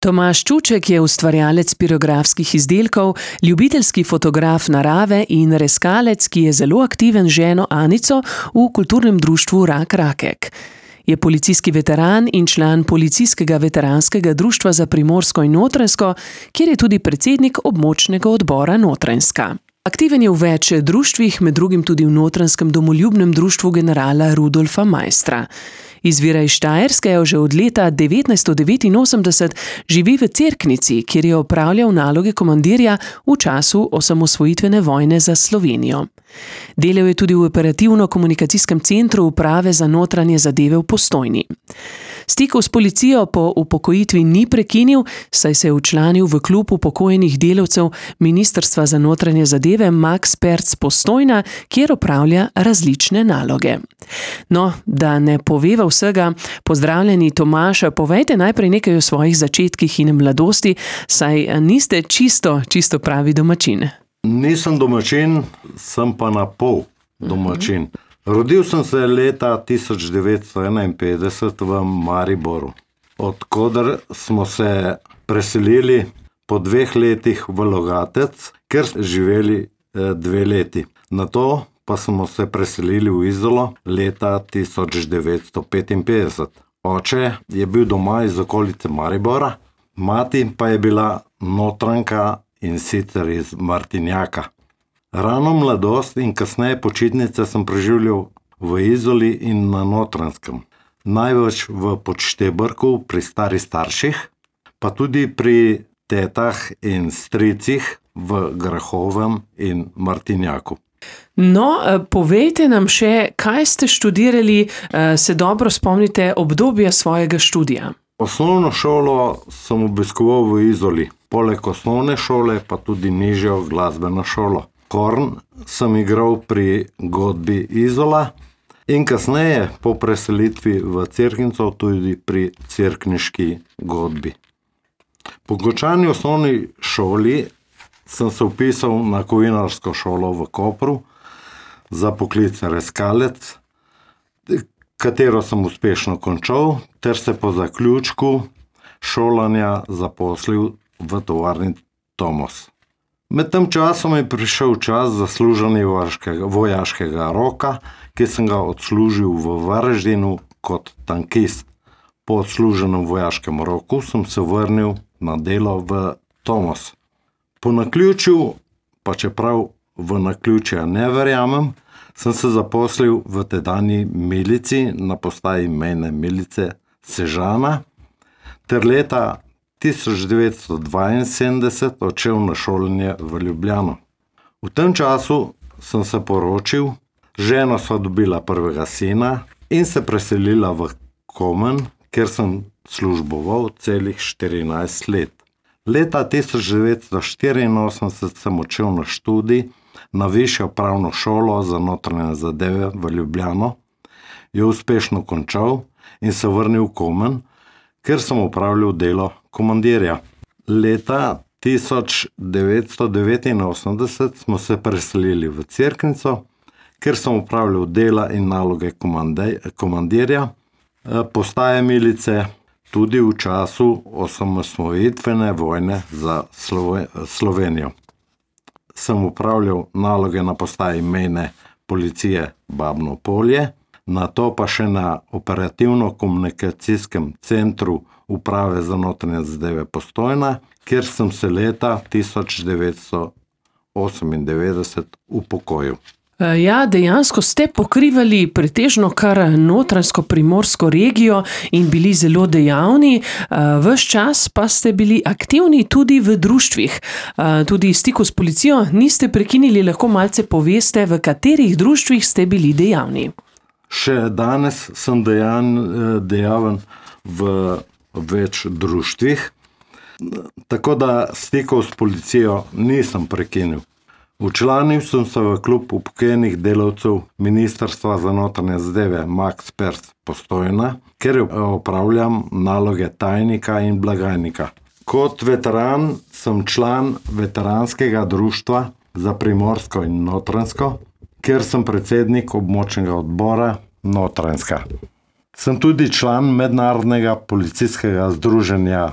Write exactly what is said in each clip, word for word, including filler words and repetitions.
Tomaž Čuček je ustvarjalec pirografskih izdelkov, ljubiteljski fotograf narave in reskalec, ki je zelo aktiven z ženo Anico v kulturnem društvu Rak Rakek. Je policijski veteran in član Policijskega veteranskega društva za Primorsko in Notranjsko, kjer je tudi predsednik območnega odbora Notranjska. Aktiven je v več društvih, med drugim tudi v Notranjskem domoljubnem društvu generala Rudolfa Maistra. Izvira iz Štajerske, že od leta devetnajststo devetinosemdeset živi v Cerknici, kjer je opravljal naloge komandirja v času osamosvojitvene vojne za Slovenijo. Delal je tudi v operativno-komunikacijskem centru Uprave za notranje zadeve v Postojni. Stikov s policijo po upokojitvi ni prekinil, saj se je včlanil v klub upokojenih delavcev Ministrstva za notranje zadeve Max Perc Postojna, kjer opravlja različne naloge. No, da ne poveva vsega, pozdravljeni Tomaž, povejte najprej nekaj o svojih začetkih in mladosti, saj niste čisto, čisto pravi domačin. Nisem domačin, sem pa na pol domačin. Uh-huh. Rodil sem se leta tisoč devetsto enainpetdeset v Mariboru, odkoder smo se preselili po dveh letih v Logatec, ker smo živeli eh, dve leti. Nato pa smo se preselili v Izolo leta tisoč devetsto petinpetdeset. Oče je bil doma iz okolice Maribora, mati pa je bila Notranjka in sicer iz Martinjaka. Rano mladost in kasneje počitnice sem preživljal v Izoli in na Notranjskem. Največ v Podštebrku pri starih starših, pa tudi pri tetah in stricih v Grahovem in Martinjaku. No, povejte nam še, kaj ste študirali, se dobro spomnite obdobja svojega študija? Osnovno šolo sem obiskoval v Izoli, poleg osnovne šole pa tudi nižjo glasbeno šolo. Horn sem igral pri godbi Izola in kasneje po preselitvi v Cerknico tudi pri cerkniški godbi. Po končani osnovni šoli sem se vpisal na kovinarsko šolo v Kopru za poklic reskalec, katero sem uspešno končal, ter se po zaključku šolanja zaposlil v tovarni Tomos. Med tem časom je prišel čas za služenje vojaškega roka, ki sem ga odslužil v Varaždinu kot tankist. Po odsluženem vojaškem roku sem se vrnil na delo v Tomos. Po naključju, pa čeprav v naključja ne verjamem, sem se zaposlil v tedanji milici na postaji mejne milice Sežana, ter leta tisoč devetsto dvainsedemdeset odšel na šolanje v Ljubljano. V tem času sem se poročil, ženo sva dobila prvega sina in se preselila v Komen, kjer sem služboval celih štirinajst let. Leta tisoč devetsto štiriinosemdeset sem odšel na študij na Višjo pravno šolo za notranje zadeve v Ljubljano, jo uspešno končal in se vrnil v Komen, ker sem opravljal delo komandirja. Leta tisoč devetsto devetinosemdeset smo se preselili v Cerknico, ker sem opravljal dela in naloge komandirja, postaje milice tudi v času osamosvojitvene vojne za Slovenijo. Sem opravljal naloge na postaji mejne policije Babno Polje, nato pa še na operativno-komunikacijskem centru Uprave za notranje zadeve Postojna, kjer sem se leta tisoč devetsto osemindevetdeset upokojil. Ja, dejansko ste pokrivali pretežno kar notranjsko-primorsko regijo in bili zelo dejavni. Ves čas pa ste bili aktivni tudi v društvih. Tudi stiku s policijo niste prekinili, lahko malce poveste, v katerih društvih ste bili dejavni. Še danes sem dejan, dejaven v več društvih, tako da stikov s policijo nisem prekinil. Včlanil sem se v klub upokojenih delavcev Ministrstva za notranje zadeve Max Perc Postojna, ker opravljam naloge tajnika in blagajnika. Kot veteran sem član veteranskega društva za Primorsko in Notranjsko, ker sem predsednik območnega odbora Notranjska. Sem tudi član mednarodnega policijskega združenja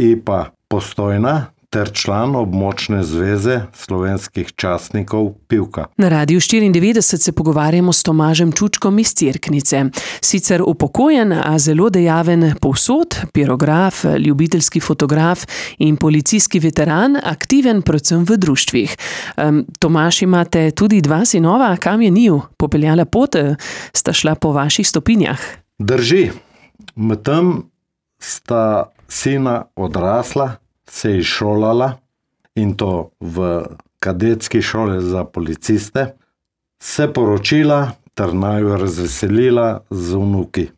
I pa Postojna ter član območne zveze slovenskih častnikov Pivka. Na Radiu štiriindevetdeset se pogovarjamo s Tomažem Čučkom iz Cerknice. Sicer upokojen, a zelo dejaven povsod, pirograf, ljubiteljski fotograf in policijski veteran, aktiven predvsem v društvih. Um, Tomaž, imate tudi dva sinova, kam je njiju popeljala pot, sta šla po vaših stopinjah? Drži. Medtem sta sina odrasla, se izšolala in to v kadetski šoli za policiste, se poročila ter naju razveselila z vnuki.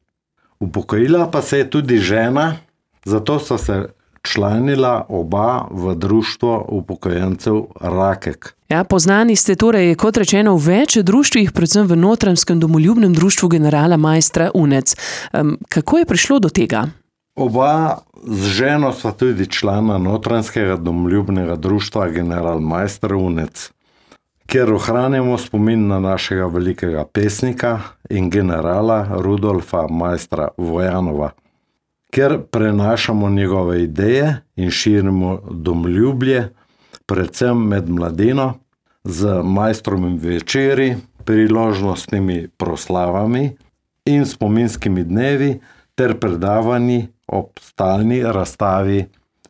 Upokojila pa se je tudi žena, zato so se članila oba v društvo upokojencev Rakek. Ja, poznani ste torej, kot rečeno, v več društvih, predvsem v Notranjskem domoljubnem društvu generala Maistra Unec. Um, kako je prišlo do tega? Oba z ženo sva tudi člana Notranjskega domoljubnega društva General Maister Unec, kjer ohranjamo spomin na našega velikega pesnika in generala Rudolfa Maistra Vojanova, kjer prenašamo njegove ideje in širimo domoljublje, predvsem med mladino, z Maistrovimi večeri, priložnostnimi proslavami in spominskimi dnevi ter predavanji ob stalni razstavi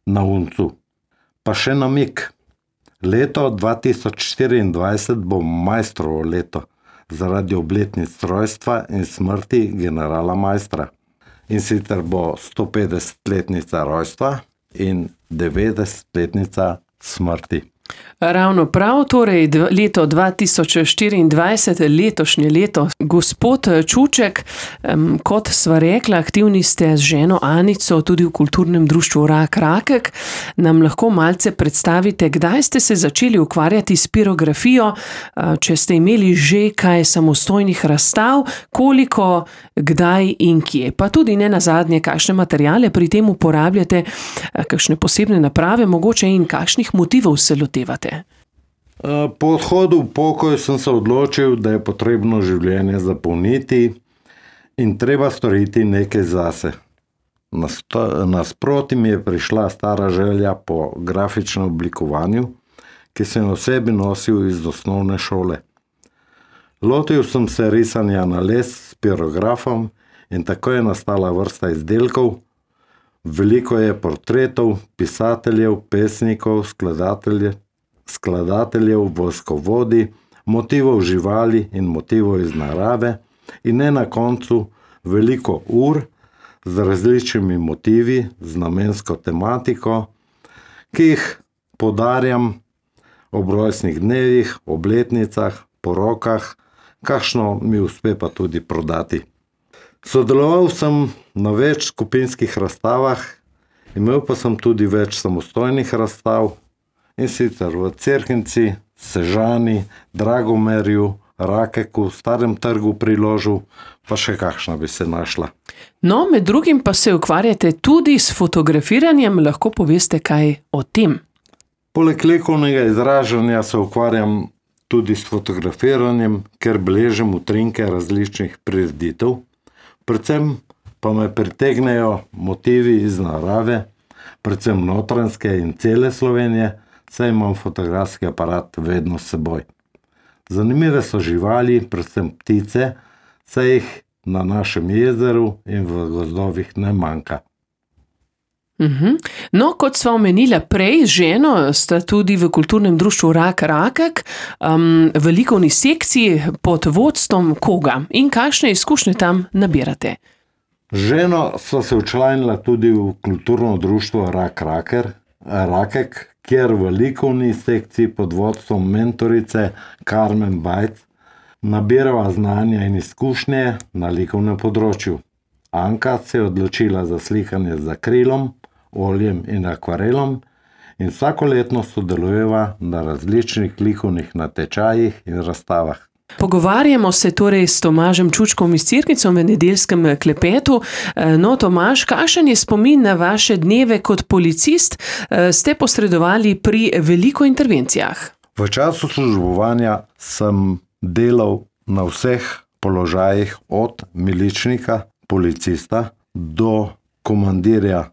na Uncu. Pa še namig. Leto dva tisoč štiriindvajset bo Maistrovo leto zaradi obletnic rojstva in smrti generala Maistra. In sicer bo stopetdesetletnica rojstva in devetdesetletnica smrti. Ravno prav, torej leto dva tisoč štiriindvajset, letošnje leto. Gospod Čuček, kot sva rekla, aktivni ste z ženo Anico tudi v kulturnem društvu Rak Rakek. Nam lahko malce predstavite, kdaj ste se začeli ukvarjati s pirografijo, če ste imeli že kaj samostojnih razstav, koliko, kdaj in kje. Pa tudi ne nazadnje, kakšne materiale pri tem uporabljate, kakšne posebne naprave mogoče in kakšnih motivov se lotevate. Po odhodu v pokoj sem se odločil, da je potrebno življenje zapolniti in treba storiti nekaj zase. Nasproti mi je prišla stara želja po grafičnem oblikovanju, ki sem v sebi nosil iz osnovne šole. Lotil sem se risanja na les s pirografom in tako je nastala vrsta izdelkov. Veliko je portretov, pisateljev, pesnikov, skladateljev, skladateljev, vojskovodi, motivov živali in motivov iz narave in ne na koncu veliko ur z različnimi motivi, z namensko tematiko, ki jih podarjam ob rojstnih dnevih, obletnicah, porokah, kakšno mi uspe pa tudi prodati. Sodeloval sem na več skupinskih razstavah, imel pa sem tudi več samostojnih razstav, in sicer v Cerknici, Sežani, Dragomerju, Rakeku, Starem trgu pri Ložu, pa še kakšna bi se našla. No, med drugim pa se ukvarjate tudi s fotografiranjem, lahko poveste kaj o tem? Poleg likovnega izražanja se ukvarjam tudi s fotografiranjem, ker beležim utrinke različnih prireditev. Predvsem pa me pritegnejo motivi iz narave, predvsem notranjske in cele Slovenije, saj imam fotografski aparat vedno s seboj. Zanimive so živali, predvsem ptice, saj jih na našem jezeru in v gozdovih ne manjka. Uhum. No, kot sva omenila prej, z ženo sta tudi v kulturnem društvu Rak Rakek, um, v likovni sekciji pod vodstvom koga in kakšne izkušnje tam nabirate? Z ženo sva se včlanila tudi v kulturno društvo Rak Raker, Rakek, kjer v likovni sekciji pod vodstvom mentorice Karmen Bajc nabirava znanja in izkušnje na likovnem področju. Anka se je odločila za slikanje z akrilom, oljem in akvarelom in vsakoletno sodelujeva na različnih likovnih natečajih in razstavah. Pogovarjamo se torej s Tomažem Čučkom iz Cerknice v nedeljskem klepetu. No, Tomaž, kakšen je spomin na vaše dneve kot policist? Ste posredovali pri veliko intervencijah? V času službovanja sem delal na vseh položajih od miličnika, policista do komandirja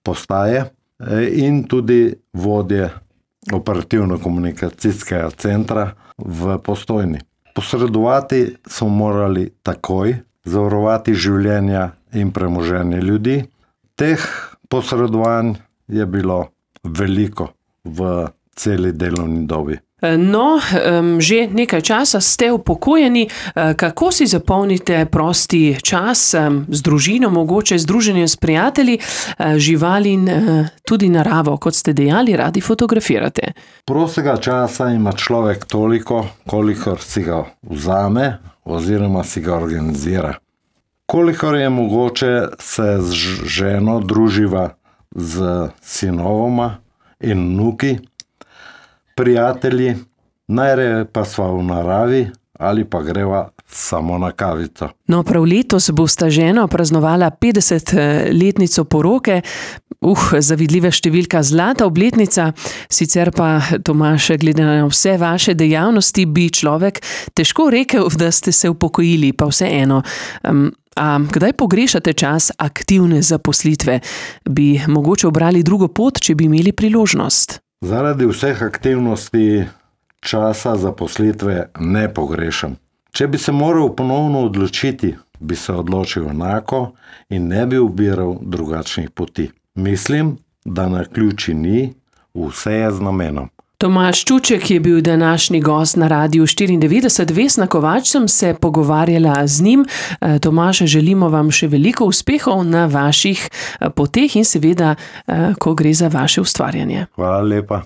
postaje. in tudi vodje operativno-komunikacijskega centra v Postojni. Posredovati smo morali takoj, zavarovati življenja in premoženje ljudi. Teh posredovanj je bilo veliko v celi delovni dobi. No, že nekaj časa ste upokojeni. Kako si zapolnite prosti čas z družino, mogoče z druženjem s prijatelji, živali in tudi naravo, kot ste dejali, radi fotografirate? Prostega časa ima človek toliko, kolikor si ga vzame oziroma si ga organizira. Kolikor je mogoče, se z ženo druživa z sinovoma in vnuki, prijatelji, najraje pa sva v naravi ali pa greva samo na kavico. No, prav letos bosta ženo praznovala petdesetletnico poroke. Uh, zavidljiva številka, zlata obletnica. Sicer pa, Tomaž, glede na vse vaše dejavnosti, bi človek težko rekel, da ste se upokojili, pa vseeno. Um, A kdaj pogrešate čas aktivne zaposlitve? Bi mogoče obrali drugo pot, če bi imeli priložnost? Zaradi vseh aktivnosti časa zaposlitve ne pogrešam. Če bi se moral ponovno odločiti, bi se odločil enako in ne bi ubiral drugačnih poti. Mislim, da naključij ni, vse je z namenom. Tomaž Čuček je bil današnji gost na Radiu štiriindevetdeset. Vesna Kovač sem se pogovarjala z njim. Tomaž, želimo vam še veliko uspehov na vaših poteh in seveda, ko gre za vaše ustvarjanje. Hvala lepa.